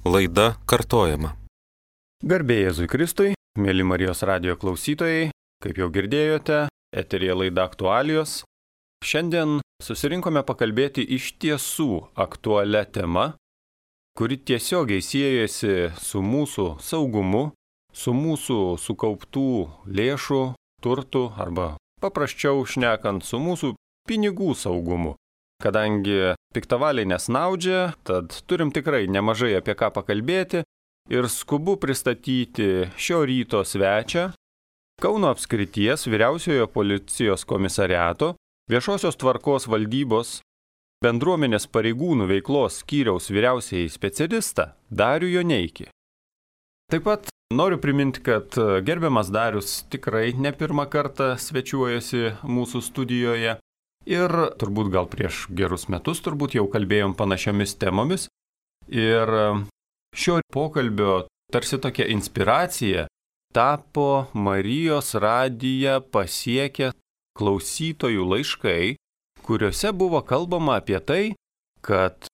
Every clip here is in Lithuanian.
Laida kartojama. Garbė Jėzui Kristui, mėly Marijos radijo klausytojai, kaip jau girdėjote, eteryje laida aktualijos. Šiandien susirinkome pakalbėti iš tiesų aktualią temą, kuri tiesiogiai siejasi su mūsų saugumu, su mūsų sukauptų lėšų, turtų arba paprasčiau šnekant su mūsų pinigų saugumu. Kadangi piktavaliai nesnaudžia, tad turim tikrai nemažai apie ką pakalbėti ir skubu pristatyti šio ryto svečią Kauno apskrities vyriausiojo policijos komisariato viešosios tvarkos valdybos bendruomenės pareigūnų veiklos skyriaus vyriausiąjį specialistą Darių Joneikį. Taip pat noriu priminti, kad gerbiamas Darius tikrai ne pirmą kartą svečiuojasi mūsų studijoje. Ir turbūt gal prieš gerus metus jau kalbėjom panašiomis temomis. Ir šio pokalbio tarsi tokia inspiracija tapo Marijos radiją pasiekę klausytojų laiškai, kuriuose buvo kalbama apie tai, kad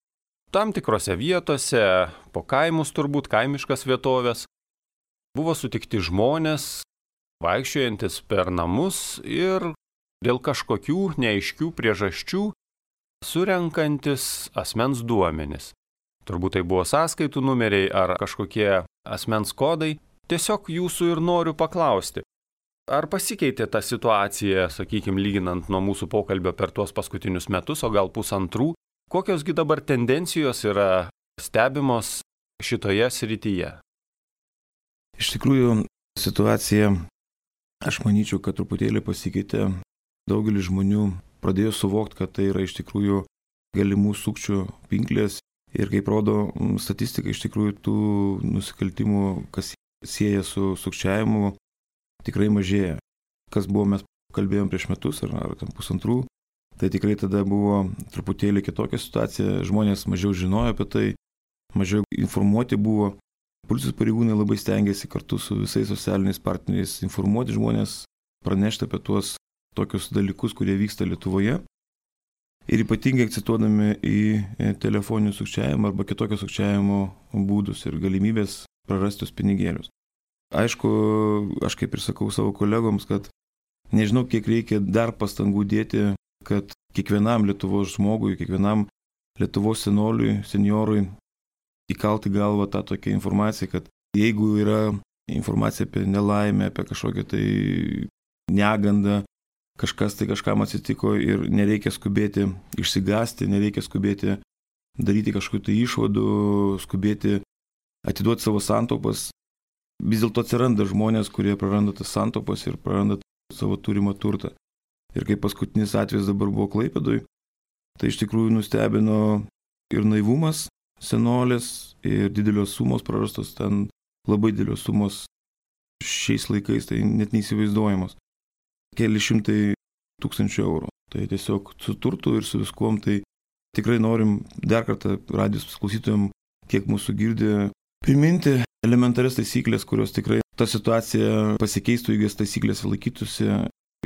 tam tikrose vietose, po kaimus kaimiškas vietovės, buvo sutikti žmonės, vaikščiojantis per namus ir dėl kažkokių neaiškių priežasčių surenkantis asmens duomenis. Turbūt tai buvo sąskaitų numeriai ar kažkokie asmens kodai. Tiesiog jūsų ir noriu paklausti, ar pasikeitė ta situacija, sakykime, lyginant nuo mūsų pokalbio per tuos paskutinius metus, o gal pusantrų, kokiosgi dabar tendencijos yra stebimos šitoje srityje? Iš tikrųjų, situacija, aš manyčiau, kad truputėlį pasikeitė. Daugelis žmonių pradėjo suvokti, kad tai yra iš tikrųjų galimų sukčių pinklės ir kaip rodo statistika, iš tikrųjų tų nusikaltimų, kas sieja su sukčiavimu, tikrai mažėja. Kas buvo, mes kalbėjom prieš metus ar pusantrų, tai tikrai tada buvo truputėlį kitokia situacija, žmonės mažiau žinojo apie tai, mažiau informuoti buvo. Policijos pareigūnai labai stengiasi kartu su visais socialiniais partneriais informuoti žmonės, pranešti apie tuos tokius dalykus, kurie vyksta Lietuvoje. Ir ypatingai akcentuodami į telefoninį sukčiavimą arba kitokio sukčiavimo būdus ir galimybės prarastus pinigėlius. Aišku, aš kaip ir sakau savo kolegoms, kad nežinau, kiek reikia dar pastangų dėti, kad kiekvienam Lietuvos žmogui, kiekvienam Lietuvos seniorui įkalti galvą tą tokią informaciją, kad jeigu yra informacija apie nelaimę, apie kažkokią tai negandą, kažkas tai kažkam atsitiko ir nereikia skubėti išsigąsti, nereikia skubėti daryti kažkokių tai išvadų, skubėti atiduoti savo santaupas. Vis dėlto atsiranda žmonės, kurie praranda tas santaupas ir praranda savo turimą turtą. Ir kaip paskutinis atvejis dabar buvo Klaipėdoj, tai iš tikrųjų nustebino ir naivumas senolės, ir didelios sumos prarastos, ten labai didelios sumos šiais laikais, tai net neįsivaizduojamos. Keli šimtai tūkstančių eurų. Tai tiesiog su turtu ir su viskuom, tai tikrai norim dar kartą radijos klausytojams, kiek mūsų girdi, priminti elementarias taisyklės, kurios tikrai ta situacija pasikeistų, jeigu jas taisyklės laikytųsi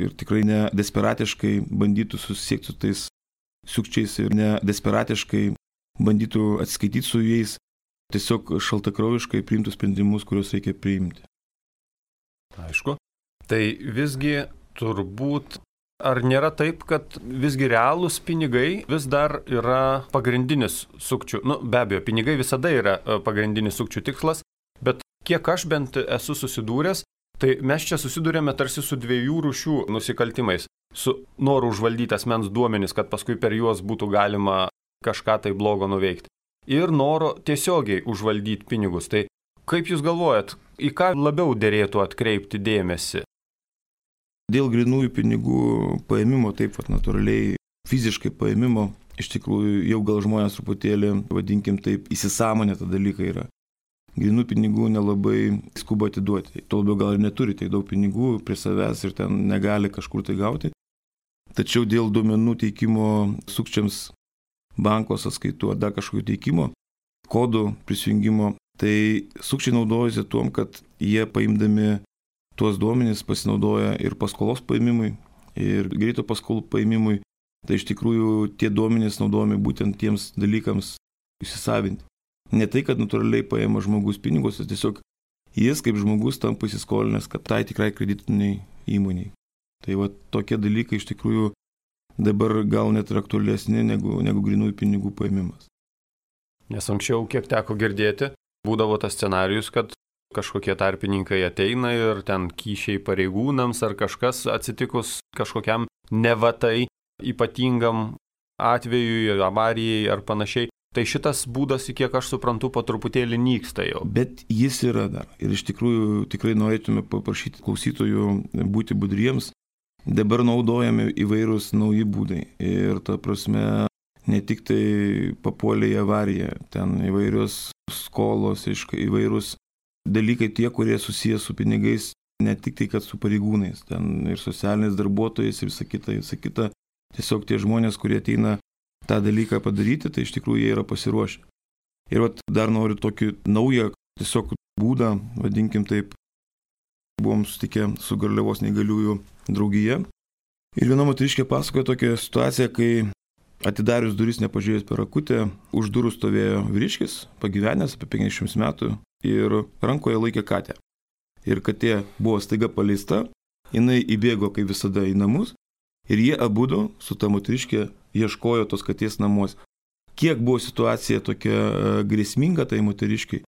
ir tikrai ne desperatiškai bandytų susisiekti su tais sukčiais ir ne desperatiškai bandytų atsiskaityti su jais, tiesiog šaltakraujiškai priimtų sprendimus, kuriuos reikia priimti. Aišku. Tai visgi turbūt, ar nėra taip, kad visgi realūs pinigai vis dar yra pagrindinis sukčių, be abejo, pinigai visada yra pagrindinis sukčių tikslas, bet kiek aš bent esu susidūręs, tai mes čia susidūrėme tarsi su dviejų rūšių nusikaltimais. Su noru užvaldyti asmens duomenis, kad paskui per juos būtų galima kažką tai blogo nuveikti. Ir noro tiesiogiai užvaldyti pinigus. Tai kaip jūs galvojat, į ką labiau derėtų atkreipti dėmesį? Dėl grynųjų pinigų paėmimo, taip natūraliai fiziškai paėmimo, iš tikrųjų jau gal žmonės truputėlį, vadinkim taip, įsisąmonę tą dalyką yra. Grynų pinigų nelabai skuba atiduoti. Tuo labiau gal ir neturi tiek daug pinigų prie savęs ir ten negali kažkur tai gauti. Tačiau dėl duomenų teikimo sukčiams banko sąskaitų ar dar kažkokio teikimo, kodų prisijungimo, tai sukčiai naudojasi tuom, kad jie paimdami tuos duomenys pasinaudoja ir paskolos paėmimui, ir greito paskolų paėmimui. Tai iš tikrųjų tie duomenys naudojami būtent tiems dalykams įsisavinti. ne tai, kad natūraliai paima žmogus pinigus, tiesiog jis kaip žmogus tampa įsiskolinęs, kad tai tikrai kreditiniai įmoniai. Tai va tokie dalykai iš tikrųjų dabar gal net ir aktualesni negu grynųjų pinigų paėmimas. Nes anksčiau, kiek teko girdėti, būdavo tas scenarijus, kad kažkokie tarpininkai ateina ir ten kyšiai pareigūnams ar kažkas atsitikus kažkokiam nevatai ypatingam atvejui, avarijai ar panašiai. Tai šitas būdas, kiek aš suprantu, po truputėlį nyksta jau. Bet jis yra dar. Ir iš tikrųjų tikrai norėtume paprašyti klausytojų būti budriems. Dabar naudojami įvairūs nauji būdai. Ir ta prasme, ne tik tai papuolė į avariją. Ten įvairios skolos, įvairūs dalykai tie, kurie susijęs su pinigais, ne tik tai, kad su pareigūnais, ten ir socialiniais darbuotojais ir visa kita. Tiesiog tie žmonės, kurie ateina tą dalyką padaryti, tai iš tikrųjų jie yra pasiruošę. Ir vat dar noriu tokį naują tiesiog būdą, vadinkim taip, buvom sutikę su Garliavos neįgaliųjų draugija. Ir viena moteriškė pasakojo tokią situaciją, kai atidarius duris nepažiūrėjus per akutę, už durų stovėjo vyriškis, pagyvenęs apie 50 metų ir rankoje laikė katę. Ir katė buvo staiga paleista, jinai įbėgo kaip visada į namus ir jie abudu su ta moteriškė ieškojo tos katės namuose. Kiek buvo situacija tokia grėsminga tai moteriškiai,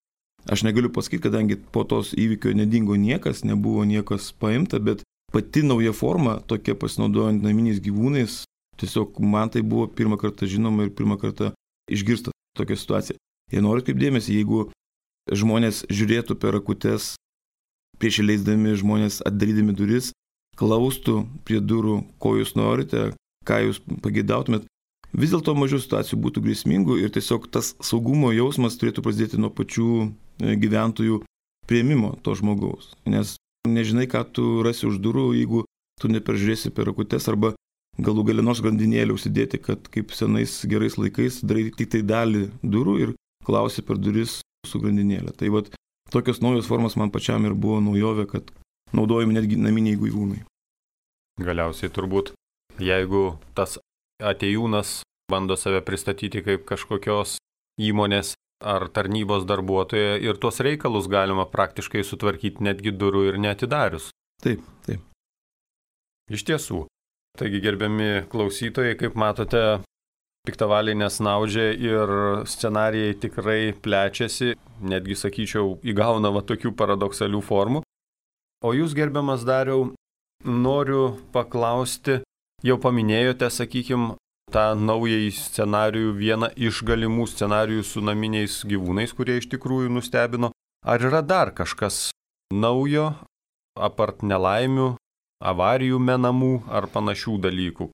aš negaliu pasakyti, kadangi po tos įvykio nedingo niekas, nebuvo niekas paimta, bet pati nauja forma, tokia pasinaudojant naminiais gyvūnais, tiesiog man tai buvo pirmą kartą žinoma ir pirmą kartą išgirsta tokia situacija. Ir noriu kaip dėmesį, jeigu žmonės žiūrėtų per akutes, prieš įleisdami žmonės atdarydami duris, klaustų prie durų, ko jūs norite, ką jūs pageidautumėt, vis dėlto mažiau situacijų būtų grėsmingų ir tiesiog tas saugumo jausmas turėtų prasidėti nuo pačių gyventojų priėmimo to žmogaus. Nes nežinai, ką tu rasi už durų, jeigu tu neperžiūrėsi per akutes arba galų gale nors grandinėlę užsidėti, kad kaip senais gerais laikais darai tik tai dalį durų ir klausi per duris su grandinėlė. Tai vat tokios naujos formos man pačiam ir buvo naujovė, kad naudojami netgi naminiai gyvūnai. Galiausiai turbūt, jeigu tas atėjūnas bando save pristatyti kaip kažkokios įmonės ar tarnybos darbuotoja ir tuos reikalus galima praktiškai sutvarkyti netgi durų ir neatidarius. Taip, taip. Iš tiesų. Taigi, gerbiami klausytojai, kaip matote, piktavaliai nesnaudžia ir scenarijai tikrai plečiasi, netgi, sakyčiau, įgauna tokių paradoksalių formų. O jūs, gerbiamas Dariau, noriu paklausti, jau paminėjote, sakykime, tą naująjį scenarijų, vieną iš galimų scenarijų su naminiais gyvūnais, kurie iš tikrųjų nustebino. Ar yra dar kažkas naujo, apart nelaimių, avarijų menamų ar panašių dalykų?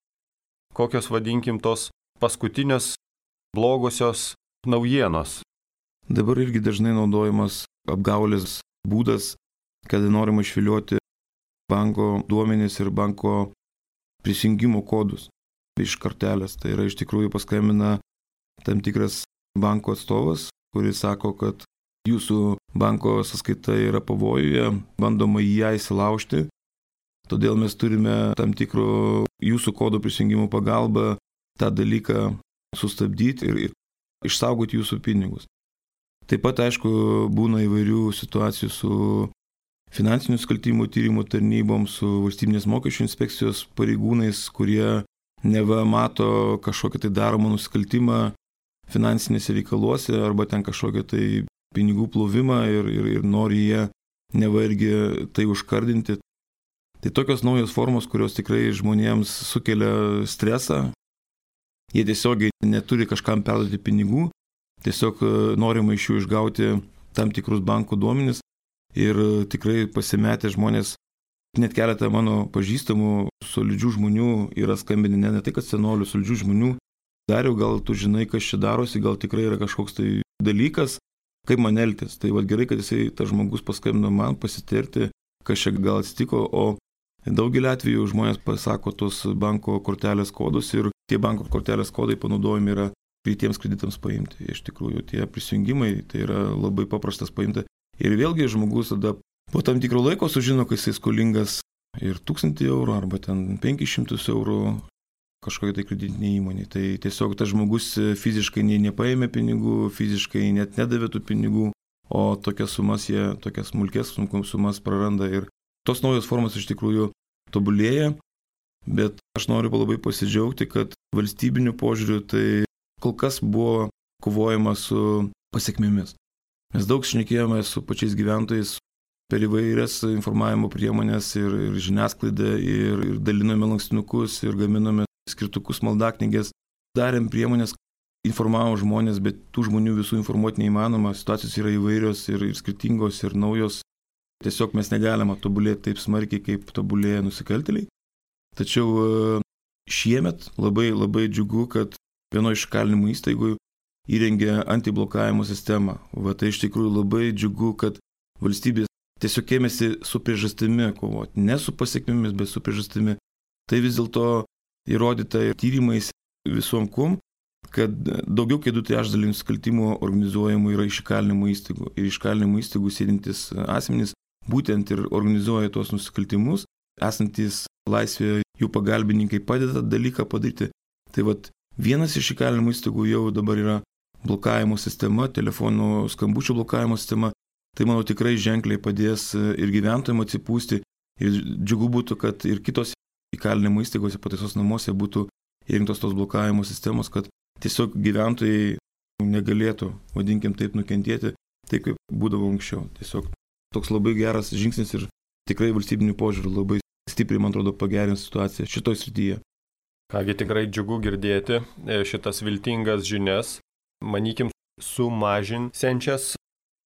Kokios, vadinkim, tos paskutinės blogosios naujienos? Dabar irgi dažnai naudojamas apgaulės būdas, kada norima išvilioti banko duomenis ir banko prisijungimo kodus iš kortelės. Tai yra iš tikrųjų paskambina tam tikras banko atstovas, kuris sako, kad jūsų banko sąskaita yra pavojuje, bandoma į ją įsilaužti. Todėl mes turime tam tikro jūsų kodo prisijungimo pagalba tą dalyką sustabdyti ir išsaugoti jūsų pinigus. Taip pat, aišku, būna įvairių situacijų su finansinių nusikaltimų tyrimų tarnybom, su valstybinės mokesčių inspekcijos pareigūnais, kurie neva mato kažkokią tai daromą nusikaltimą finansinėse reikaluose arba ten kažkokią tai pinigų plovimą ir nori jie neva irgi tai užkardinti. Tai tokios naujos formos, kurios tikrai žmonėms sukelia stresą. Jie tiesiogiai neturi kažkam perduoti pinigų, tiesiog norima iš jų išgauti tam tikrus bankų duomenis ir tikrai pasimetę žmonės, net keletą mano pažįstamų solidžių žmonių yra skambinę, ne tai kad senolių, solidžių žmonių. Dariau, gal tu žinai, kas čia darosi, gal tikrai yra kažkoks tai dalykas, kaip man elgtis. Tai gerai, kad tas žmogus paskambino man pasitirti, kas čia gal atsitiko, o daugelį atvejų žmonės pasako tos banko kortelės kodus ir tie banko kortelės kodai panaudojami yra greitiems kreditams paimti. Iš tikrųjų, tie prisijungimai tai yra labai paprastas paimti. Ir vėlgi žmogus tada po tam tikro laiko sužino, kad jisai skolingas ir 1000 eurų arba ten 500 eurų kažkokiai tai kreditinė įmonė. Tai tiesiog tas žmogus fiziškai nepaėmė pinigų, fiziškai net nedavė tų pinigų, o tokias smulkės sumas praranda. Ir tos naujos formos iš tikrųjų tobulėja, bet aš noriu labai pasidžiaugti, kad valstybiniu požiūriu tai kol kas buvo kovojama su pasiekmėmis. Mes daug šnekėjome su pačiais gyventojais per įvairias informavimo priemonės ir žiniasklaidą, ir dalinome lankstinukus, ir gaminome skirtukus, maldaknygės. Darėm priemonės, informavom žmonės, bet tų žmonių visų informuoti neįmanoma. Situacijos yra įvairios ir skirtingos ir naujos. Tiesiog mes negalime tobulėti taip smarkiai, kaip tobulėja nusikaltėliai. Tačiau šiemet labai džiugu, kad vienoje iš įkalinimo įstaigų įrengė antiblokavimo sistemą. Tai iš tikrųjų labai džiugu, kad valstybė tiesiog ėmėsi su priežastimi kovoti. Ne su pasiekmėmis, bet su priežastimi. Tai vis dėlto įrodyta ir tyrimais visom kum, kad daugiau kaip 2/3 nusikaltimų organizuojamų yra iš įkalinimo įstaigų. Ir iš įkalinimo įstaigų sėdintys asmenys būtent ir organizuoja tuos nusikaltimus, esantis laisvėje jų pagalbininkai padeda dalyką padaryti. Tai vienas iš įkalinimo įstaigų jau dabar yra blokavimo sistema, telefonų skambučių blokavimo sistema. Tai, manau, tikrai ženkliai padės ir gyventojams atsipūsti. Ir džiugu būtų, kad ir kitos įkalinimo įstaigose, pataisos namuose būtų įrengtos tos blokavimo sistemos, kad tiesiog gyventojai negalėtų, vadinkim taip, nukentėti, taip kaip būdavo anksčiau. Tiesiog toks labai geras žingsnis ir tikrai valstybinių požiūrių labai stipriai, man atrodo, pagerins situaciją šitoj srityje. Kągi, tikrai džiugu girdėti šitas viltingas žinias, manykim, sumažinsiančias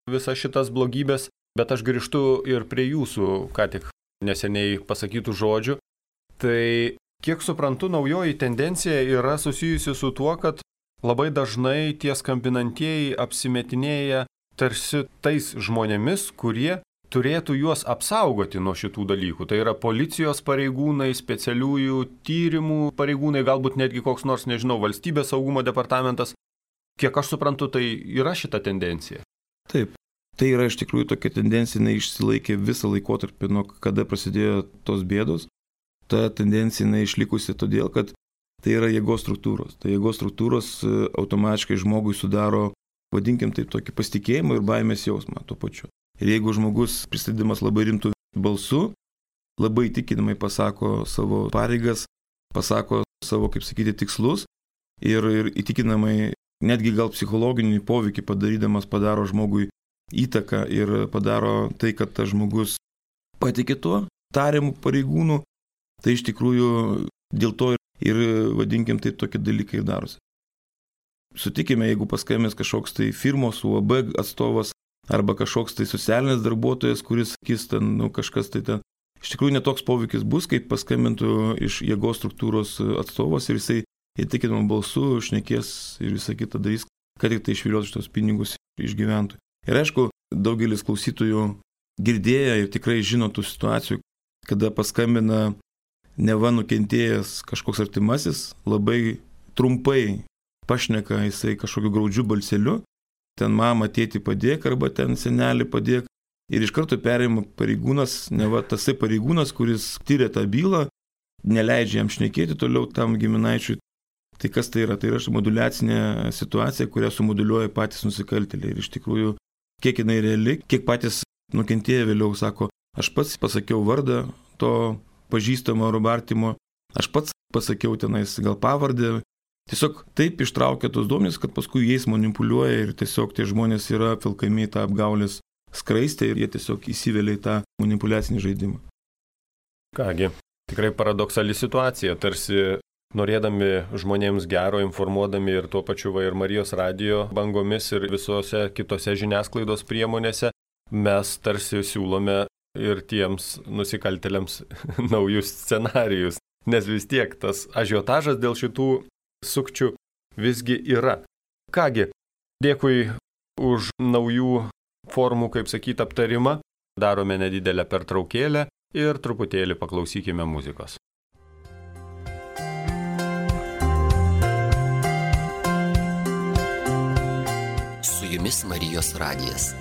visas šitas blogybės, bet aš grįžtu ir prie jūsų, ką tik neseniai pasakytų žodžių. Tai, kiek suprantu, naujoji tendencija yra susijusi su tuo, kad labai dažnai tie skambinantieji apsimetinėja tarsi tais žmonėmis, kurie turėtų juos apsaugoti nuo šitų dalykų. Tai yra policijos pareigūnai, specialiųjų tyrimų pareigūnai, galbūt netgi koks nors, nežinau, valstybės saugumo departamentas. Kiek aš suprantu, tai yra šita tendencija. Taip, tai yra iš tikrųjų tokia tendencija, jinai išsilaikė visą laikotarpį, nuo kada prasidėjo tos bėdos. Ta tendencija jinai išlikusi todėl, kad tai yra jėgos struktūros. Tai jėgos struktūros automatiškai žmogui sudaro, vadinkim taip, tokį pasitikėjimą ir baimės jausmą tuo pačiu. Ir jeigu žmogus pristatydamas labai rimtų balsu, labai įtikinamai pasako savo pareigas, pasako savo, kaip sakyti, tikslus ir įtikinamai netgi gal psichologinį poveikį padarydamas padaro žmogui įtaką ir padaro tai, kad tas žmogus patikė tuo tariamų pareigūnų, tai iš tikrųjų dėl to ir vadinkim taip tokie dalykai ir darosi. Sutikime, jeigu paskambins kažkoks tai firmos UAB atstovas arba kažkoks tai socialinis darbuotojas, kuris sakys ten, kažkas tai ten, iš tikrųjų netoks poveikis bus, kaip paskambintų iš jėgos struktūros atstovas ir jisai įtikinamą balsu šnekės ir visą kitą darys, kad tik tai išviliuotų šitos pinigus iš gyventojų. Ir aišku, daugelis klausytojų girdėję ir tikrai žino tų situacijų, kada paskambina neva nukentėjęs kažkoks artimasis, labai trumpai pašneka jisai kažkokiu graudžiu balseliu, ten mama, tėti padėk arba ten senelį padėk. Ir iš karto perima pareigūnas, neva tasai pareigūnas, kuris tyria tą bylą, neleidžia jam šnekėti toliau tam giminaičiui. Tai kas tai yra? Tai yra moduliacinė situacija, kurią sumuduliuoja patys nusikaltėliai. Ir iš tikrųjų, kiek jinai reali, kiek patys nukentėję vėliau sako, aš pats pasakiau vardą to pažįstamo arba artimo, aš pats pasakiau tenais gal pavardę. Tiesiog taip ištraukia tos duomenys, kad paskui jais manipuliuoja ir tiesiog tie žmonės yra filkami į tą apgaulės skraistę ir jie tiesiog įsivelia į tą manipuliacinį žaidimą. Kągi, tikrai paradoksali situacija, tarsi norėdami žmonėms gero, informuodami ir tuo pačiu ir Marijos radijo bangomis ir visose kitose žiniasklaidos priemonėse, mes tarsi siūlome ir tiems nusikaltėliams naujus scenarijus, nes vis tiek tas ažiotažas dėl šitų sukčių visgi yra. Kągi, dėkui už naujų formų, kaip sakyti, aptarimą. Darome nedidelę pertraukėlę ir truputėlį paklausykime muzikos. Su jumis Marijos radijas.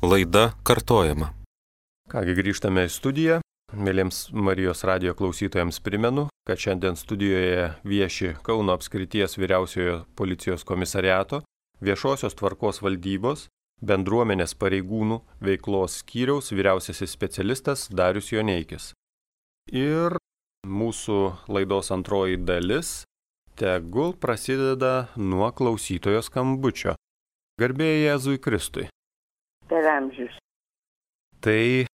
Laida kartojama. Kągi, grįžtame į studiją. Mėlyms Marijos radijo klausytojams primenu, kad šiandien studijoje vieši Kauno apskrities vyriausiojo policijos komisariato, viešosios tvarkos valdybos, bendruomenės pareigūnų veiklos skyriaus vyriausiasis specialistas Darius Joneikis. Ir mūsų laidos antroji dalis tegul prasideda nuo klausytojo skambučio. Garbė Jėzui Kristui. Per amžius. Tai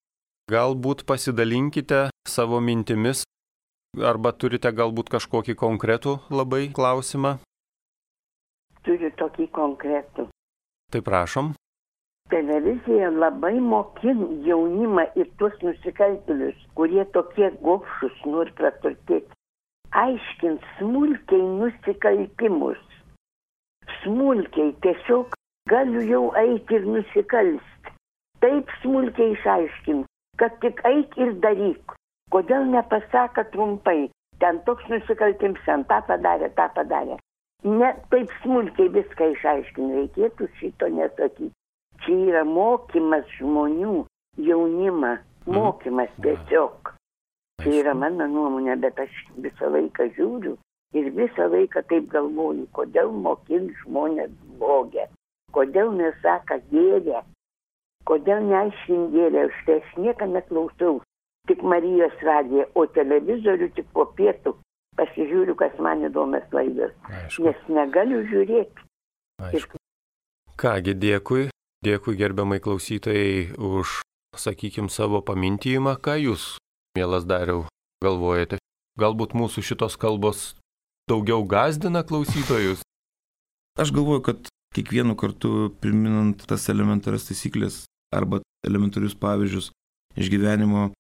galbūt pasidalinkite savo mintimis, arba turite galbūt kažkokį konkretų labai klausimą? Turiu tokį konkretų. Tai prašom. Televizija labai mokina jaunimą ir tuos nusikaltėlius, kurie tokie gobšus nori praturtėti. Aiškint smulkiai nusikaltimus. Smulkiai tiesiog galiu jau eiti ir nusikalsti. Taip smulkiai išaiškint, kad tik eik ir daryk. Kodėl nepasaka trumpai, ten toks nusikaltims, ten tą padarė. Ne taip smulkiai viską išaiškint, reikėtų šito nesakyti. Čia yra mokymas žmonių, jaunimą, mokymas tiesiog. Tai yra mano nuomonė, bet aš visą laiką žiūriu ir visą laiką taip galvoju, kodėl mokint žmonės blogę, kodėl nesaka gėrę, kodėl neaiškint gėrę, štai aš nieką neklausau, tik Marijos radiją, o televizorių tik po pietų pasižiūriu, kas man įdomias laidas, nes negaliu žiūrėti. Kągi, dėkui gerbiamai klausytojai už, sakykim, savo pamintijimą, ką jūs, mielas Dariau, galvojate? Galbūt mūsų šitos kalbos daugiau gąsdina klausytojus? Aš galvoju, kad kiekvienu kartu priminant tas elementarias taisyklės arba elementarius pavyzdžius iš gyvenimo,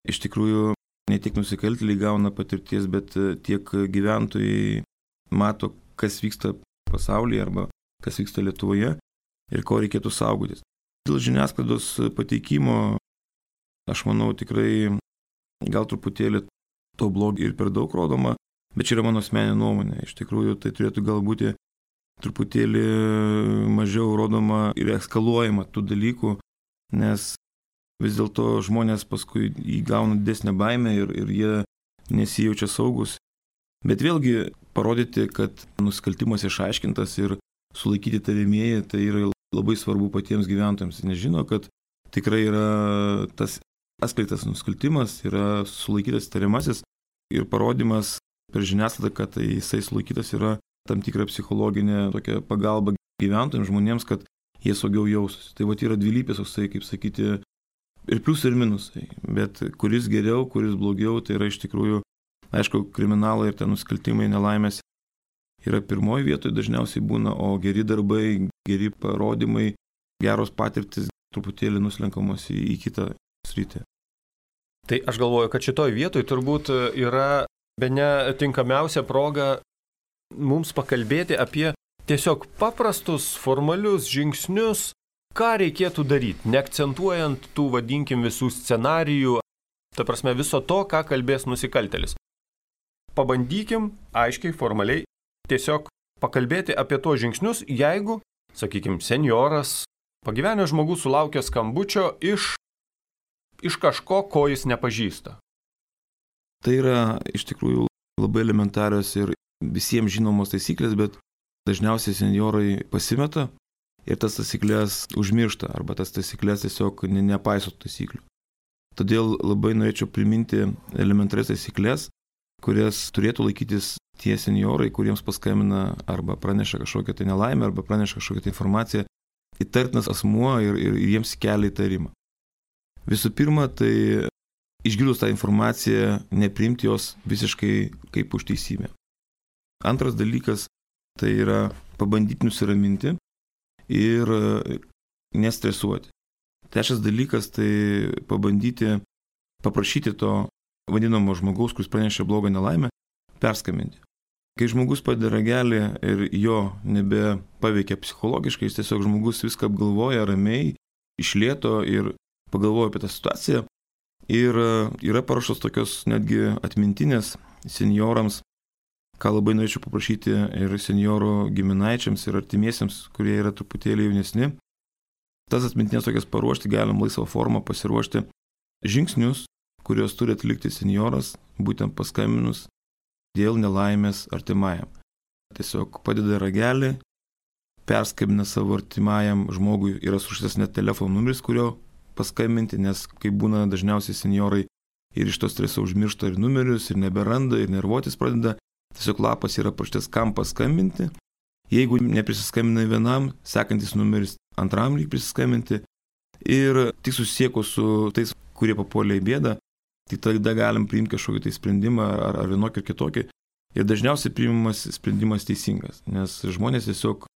iš tikrųjų ne tik nusikaltėliai gauna patirties, bet tiek gyventojai mato, kas vyksta pasaulyje arba kas vyksta Lietuvoje ir ko reikėtų saugotis. Dėl žiniasklaidos pateikimo, aš manau, tikrai gal truputėlį to blogio ir per daug rodoma, bet čia yra mano asmeninė nuomonė. Iš tikrųjų, tai turėtų galbūt truputėlį mažiau rodoma ir eskaluojama tų dalykų, nes vis dėlto žmonės paskui įgauna didesnę baimę ir jie nesijaučia saugus. Bet vėlgi parodyti, kad nusikaltimas išaiškintas ir sulaikyti tariamieji, tai yra labai svarbu patiems gyventojams. Nežino, kad tikrai yra tas atskleistas nusikaltimas, yra sulaikytas tariamasis ir parodimas per žiniasklaidą, kad jisai sulaikytas yra tam tikra psichologinė tokia pagalba gyventojams, žmonėms, kad jie saugiau jaustųsi. Tai yra dvilypės, kaip sakyti, ir pliusai ir minusai. Bet kuris geriau, kuris blogiau, tai yra iš tikrųjų, aišku, kriminalai ir tie nusikaltimai, nelaimės yra pirmoji vietoje dažniausiai būna, o geri darbai, geri parodymai, geros patirtis truputėlį nuslenkamos į kitą sritį. Tai aš galvoju, kad šitoj vietoj turbūt yra bene tinkamiausia proga mums pakalbėti apie tiesiog paprastus, formalius žingsnius, ką reikėtų daryti, neakcentuojant tų, vadinkim, visų scenarijų, ta prasme viso to, ką kalbės nusikaltėlis. Pabandykim aiškiai, formaliai, tiesiog pakalbėti apie tos žingsnius, jeigu, sakykim, senjoras, pagyvenęs žmogus sulaukia skambučio iš kažko, ko jis nepažįsta. Tai yra iš tikrųjų labai elementarios ir visiems žinomos taisyklės, bet dažniausiai senjorai pasimeta ir tas taisyklės užmiršta, arba tas taisyklės tiesiog nepaiso taisyklių. Todėl labai norėčiau priminti elementarias taisyklės, kurias turėtų laikytis tie senjorai, kuriems paskambina arba praneša kažkokią tai nelaimę, arba praneša kažkokią tai informaciją, įtartinas asmuo ir jiems kelia įtarimą. Visų pirma, tai išgirdus tą informaciją, nepriimti jos visiškai kaip už teisybę. Antras dalykas, tai yra pabandyti nusiraminti ir nestresuoti. Trečias dalykas, tai pabandyti paprašyti to vadinamo žmogaus, kuris pranešė blogą nelaimę, perskambinti. Kai žmogus padeda ragelį ir jo nebepaveikia psichologiškai, jis tiesiog žmogus viską apgalvoja ramiai, iš lėto ir pagalvoja apie tą situaciją. Ir yra paruoštos tokios netgi atmintinės senjorams, ką labai norėčiau paprašyti ir senjorų giminaičiams ir artimiesiems, kurie yra truputėlį jaunesni. tas atmintinės tokias paruošti, galim laisvą formą pasiruošti žingsnius, kuriuos turi atlikti senjoras, būtent paskambinus dėl nelaimės artimajam. Tiesiog padeda ragelį, perskambina savo artimajam žmogui, yra surašytas net telefono numeris, kurio paskambinti, nes kai būna dažniausiai senjorai ir iš to streso užmiršta ir numerius, ir neberanda, ir nervuotis pradeda, tiesiog lapas yra parašytas, kam paskambinti. Jeigu neprisiskambina vienam, sekantis numeris antram reikia prisiskambinti ir tik susiekus su tais, kurie papuolė į bėdą, tai tada galim priimti kažkokį tai sprendimą ar vienokį ar kitokį. Ir dažniausiai priimamas sprendimas teisingas, nes žmonės tiesiog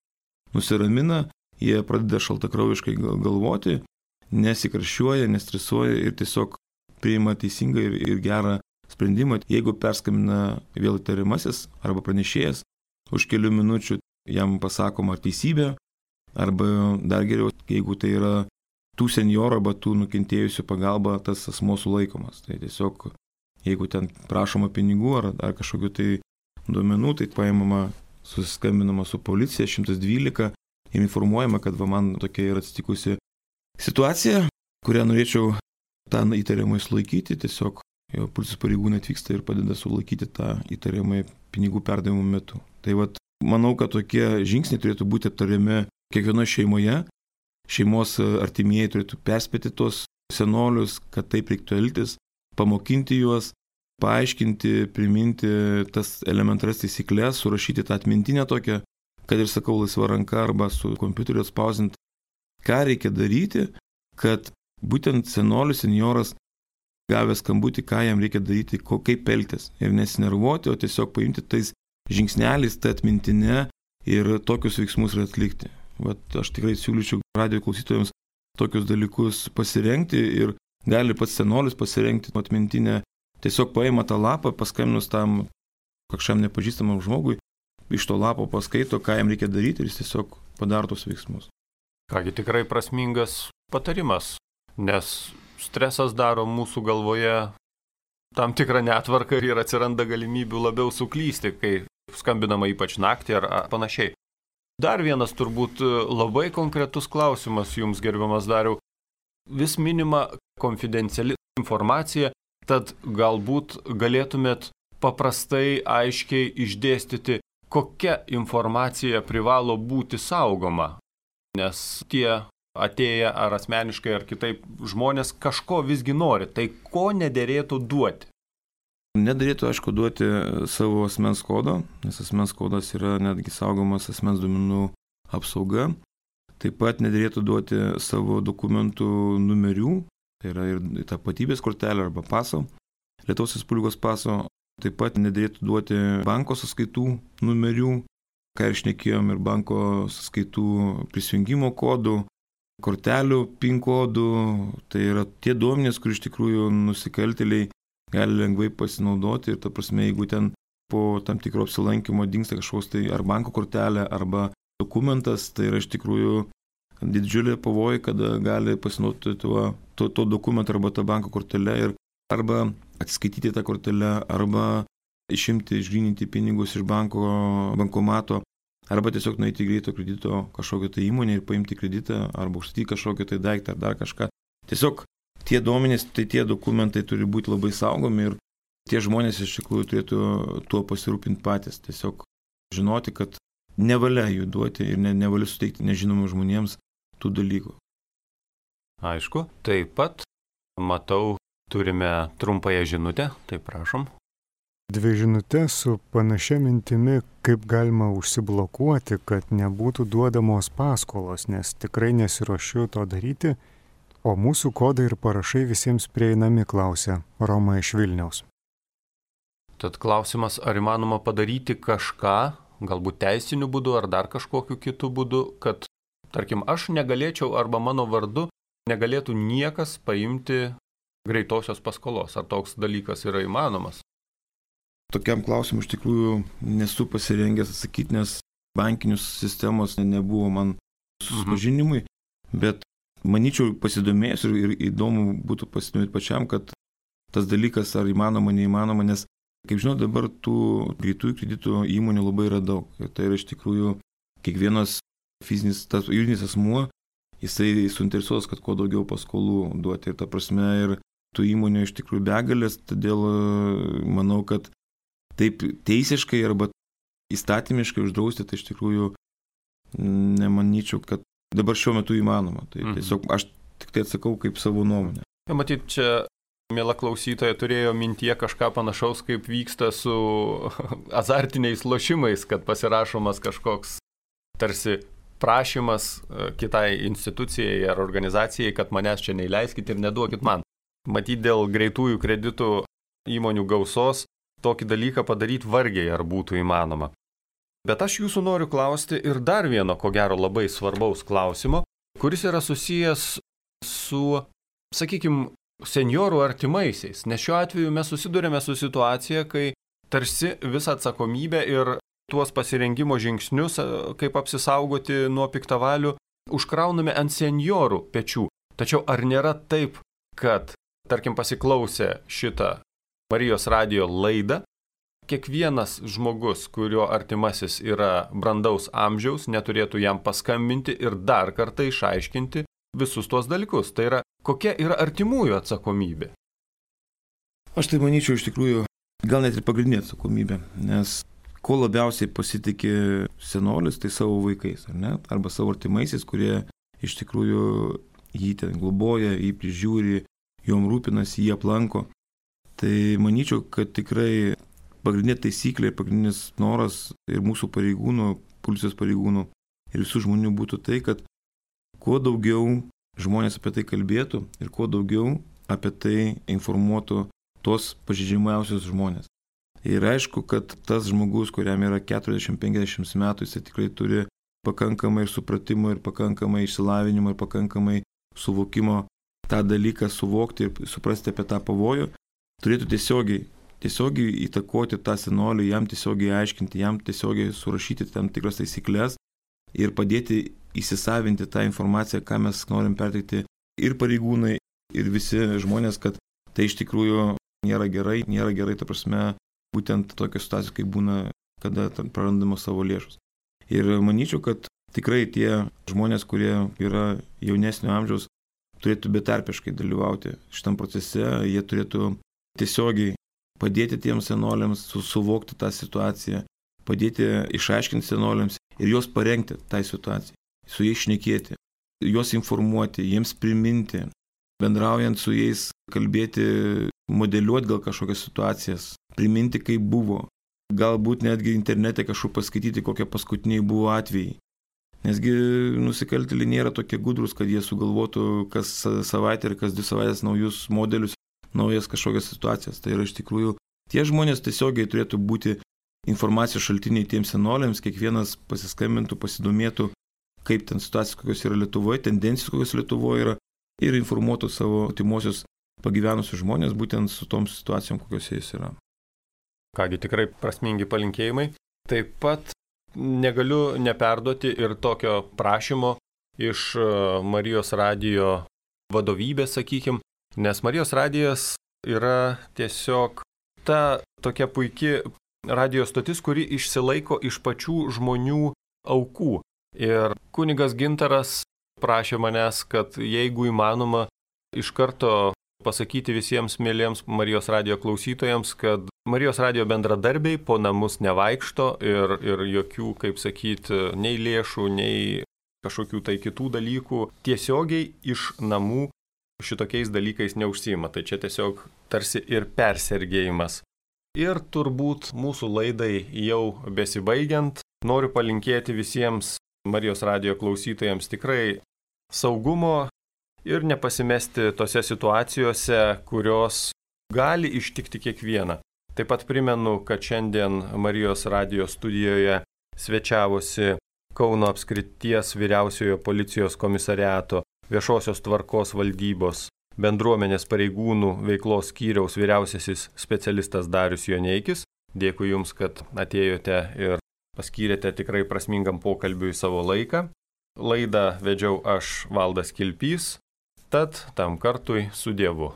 nusiramina, jie pradeda šaltakraujiškai galvoti, nesikarščiuoja, nestresuoja ir tiesiog priima teisingą ir gerą sprendimą. Jeigu perskambina vėl įtariamasis arba pranešėjas, už kelių minučių jam pasakoma teisybė, arba dar geriau, jeigu tai yra tų senjorų arba tų nukentėjusių pagalba, tas asmuo sulaikomas. Tai tiesiog, jeigu ten prašoma pinigų ar kažkokių tai duomenų, tai paimama, susiskambinama su policija 112 ir informuojama, kad man tokia yra atsitikusi situacija, kurią norėčiau tą įtariamąjį sulaikyti, tiesiog jo policijos pareigūnai atvyksta ir padeda sulaikyti tą įtariamąjį pinigų perdavimo metu. Tai manau, kad tokie žingsniai turėtų būti aptariami kiekvienoje šeimoje. Šeimos artimieji turėtų perspėti tos senolius, kad taip reiktų elgtis, pamokinti juos, paaiškinti, priminti tas elementarias taisyklės, surašyti tą atmintinę tokią, kad ir sakau laisva ranka arba su kompiuteriu atspausdinti, ką reikia daryti, kad būtent senjoras gavęs skambutį, ką jam reikia daryti, kaip elgtis ir nesinervuoti, o tiesiog paimti tais žingsneliais, tą atmintinę ir tokius veiksmus ir atlikti. Aš tikrai siūlyčiau radijo klausytojams tokius dalykus pasirengti ir gali pats senolis pasirengti atmintinę. Tiesiog paima tą lapą, paskambinus tam kažkam nepažįstamam žmogui, iš to lapo paskaito, ką jam reikia daryti ir jis tiesiog padaro tos veiksmus. Kągi, tikrai prasmingas patarimas, nes stresas daro mūsų galvoje tam tikrą netvarką ir atsiranda galimybių labiau suklysti, kai skambinama ypač naktį ar panašiai. Dar vienas turbūt labai konkretus klausimas jums, gerbiamas Dariau. Vis minima konfidenciali informacija, tad galbūt galėtumėt paprastai, aiškiai išdėstyti, kokia informacija privalo būti saugoma. Nes tie atėję ar asmeniškai ar kitaip žmonės kažko visgi nori, tai ko nederėtų duoti? Nedarėtų, aišku, duoti savo asmens kodo, nes asmens kodas yra netgi saugomas asmens duomenų apsauga. Taip pat nedarėtų duoti savo dokumentų numerių, tai yra ir tapatybės kortelė arba paso, Lietuvos Respublikos paso. Taip pat nedarėtų duoti banko sąskaitų numerių, ką ir šnekėjom, ir banko sąskaitų prisijungimo kodų, kortelių PIN kodų. Tai yra tie duomenys, kur iš tikrųjų nusikaltėliai gali lengvai pasinaudoti ir ta prasme, jeigu ten po tam tikro apsilankimo dingsta kažkoks tai ar banko kortelė arba dokumentas, tai yra iš tikrųjų didžiulė pavojai, kada gali pasinaudoti to dokumento arba tą banko kortelę ir arba atsiskaityti tą kortelę, arba išimti, išgryninti pinigus iš bankomato, arba tiesiog nueiti į greito kredito kažkokią tai įmonę ir paimti kreditą, arba užstatyti kažkokią tai daiktą ar dar kažką. Tiesiog tie duomenys, tai tie dokumentai turi būti labai saugomi ir tie žmonės iš tikrųjų turėtų tuo pasirūpinti patys. Tiesiog žinoti, kad nevalia jų duoti ir nevalia suteikti nežinomų žmonėms tų dalykų. Aišku, taip pat matau, turime trumpąją žinutę, tai prašom. 2 žinutės su panašia mintimi, kaip galima užsiblokuoti, kad nebūtų duodamos paskolos, nes tikrai nesiruošiu to daryti. O mūsų kodai ir parašai visiems prieinami, klausia Roma iš Vilniaus. Tad klausimas, ar įmanoma padaryti kažką, galbūt teisiniu būdu ar dar kažkokiu kitu būdu, kad, tarkim, aš negalėčiau arba mano vardu negalėtų niekas paimti greitosios paskolos. Ar toks dalykas yra įmanomas? Tokiam klausimui iš tikrųjų nesu pasirengęs atsakyti, nes bankinius sistemos nebuvo man susipažinimui, bet manyčiau pasidomėjęs ir įdomu būtų pasidomėti pačiam, kad tas dalykas ar įmanoma, neįmanoma, nes, kaip žinot, dabar tų greitųjų kreditų įmonių labai yra daug. Ir tai yra iš tikrųjų kiekvienas fizinis, tas juridinis asmuo, jisai suinteresuotas, kad kuo daugiau paskolų duoti. Ir ta prasme, ir tų įmonių iš tikrųjų begalės, todėl manau, kad taip teisiškai arba įstatymiškai uždrausti, tai iš tikrųjų nemanyčiau, kad dabar šiuo metu įmanoma. Tai tiesiog aš tik tai atsakau kaip savo nuomonę. Matyt, čia, miela klausytoja, turėjo mintyje kažką panašaus, kaip vyksta su azartiniais lošimais, kad pasirašomas kažkoks tarsi prašymas kitai institucijai ar organizacijai, kad manęs čia neįleiskit ir neduokit man. Matyt, dėl greitųjų kreditų įmonių gausos tokį dalyką padaryti vargiai ar būtų įmanoma. Bet aš jūsų noriu klausti ir dar vieno, ko gero, labai svarbaus klausimo, kuris yra susijęs su, sakykime, senjorų artimaisiais. Nes šiuo atveju mes susidurėme su situacija, kai tarsi visą atsakomybę ir tuos pasirengimo žingsnius, kaip apsisaugoti nuo piktavalių, užkrauname ant senjorų pečių. Tačiau ar nėra taip, kad, tarkim, pasiklausę šitą Marijos radijo laidą, kiekvienas žmogus, kurio artimasis yra brandaus amžiaus, neturėtų jam paskambinti ir dar kartą išaiškinti visus tuos dalykus. Tai yra, kokia yra artimųjų atsakomybė? Aš tai manyčiau iš tikrųjų, gal net ir pagrindinė atsakomybė, nes ko labiausiai pasitikė senolis, tai savo vaikais, ar ne? Arba savo artimaisiais, kurie iš tikrųjų jį ten globoja, jį prižiūri, jom rūpinasi, jį aplanko. Tai manyčiau, kad tikrai pagrindinė taisyklė ir pagrindinis noras ir mūsų pareigūnų, policijos pareigūnų ir visų žmonių būtų tai, kad kuo daugiau žmonės apie tai kalbėtų ir kuo daugiau apie tai informuotų tos pažeidžiamiausius žmonės. Ir aišku, kad tas žmogus, kuriam yra 40-50 metų, jis tikrai turi pakankamai ir supratimo, ir pakankamai išsilavinimo, ir pakankamai suvokimo tą dalyką suvokti ir suprasti apie tą pavojų, turėtų tiesiogiai įtakoti tą senolį, jam tiesiogiai aiškinti, jam tiesiogiai surašyti tam tikras taisyklės ir padėti įsisavinti tą informaciją, ką mes norim perteikti ir pareigūnai, ir visi žmonės, kad tai iš tikrųjų nėra gerai, ta prasme, būtent tokios situacijos, kaip būna, kada prarandamos savo lėšus. Ir manyčiau, kad tikrai tie žmonės, kurie yra jaunesnio amžiaus, turėtų betarpiškai dalyvauti šitam procese, jie turėtų tiesiogiai padėti tiems senoliams suvokti tą situaciją, padėti išaiškinti senoliams ir juos parengti tai situacijai, su jais šnekėti, juos informuoti, jiems priminti, bendraujant su jais, kalbėti, modeliuoti gal kažkokias situacijas, priminti, kaip buvo, galbūt netgi internete kažkur paskaityti, kokie paskutiniai buvo atvejai. Nesgi nusikaltėliai nėra tokie gudrus, kad jie sugalvotų kas savaitę ir kas 2 savaitės naujus modelius, naujas kažkokias situacijas. Tai yra iš tikrųjų, tie žmonės tiesiogiai turėtų būti informacijos šaltiniai tiems senoliams, kiekvienas pasiskambintų, pasidomėtų, kaip ten situacijos kokios yra Lietuvoje, tendencijos kokios Lietuvoje yra ir informuotų savo artimuosius pagyvenusius žmonės būtent su tom situacijom, kokios jais yra. Kągi, tikrai prasmingi palinkėjimai. Taip pat negaliu neperduoti ir tokio prašymo iš Marijos radijo vadovybės, sakykim, nes Marijos radijas yra tiesiog ta tokia puiki radijo stotis, kuri išsilaiko iš pačių žmonių aukų. Ir kunigas Gintaras prašė manęs, kad jeigu įmanoma iš karto pasakyti visiems mėliems Marijos radijo klausytojams, kad Marijos radijo bendradarbiai po namus nevaikšto ir jokių, kaip sakyti, nei lėšų, nei kažkokių tai kitų dalykų tiesiogiai iš namų šitokiais dalykais neužsiima. Tai čia tiesiog tarsi ir persergėjimas. Ir turbūt mūsų laidai jau besibaigiant, noriu palinkėti visiems Marijos radijo klausytojams tikrai saugumo ir nepasimesti tose situacijose, kurios gali ištikti kiekvieną. Taip pat primenu, kad šiandien Marijos radijo studijoje svečiavosi Kauno apskrities vyriausiojo policijos komisariato viešosios tvarkos valdybos bendruomenės pareigūnų veiklos skyriaus vyriausiasis specialistas Darius Joneikis. Dėkui Jums, kad atėjote ir paskyrėte tikrai prasmingam pokalbiui savo laiką. Laidą vedžiau aš, Valdas Kilpys, tad tam kartui su Dievu.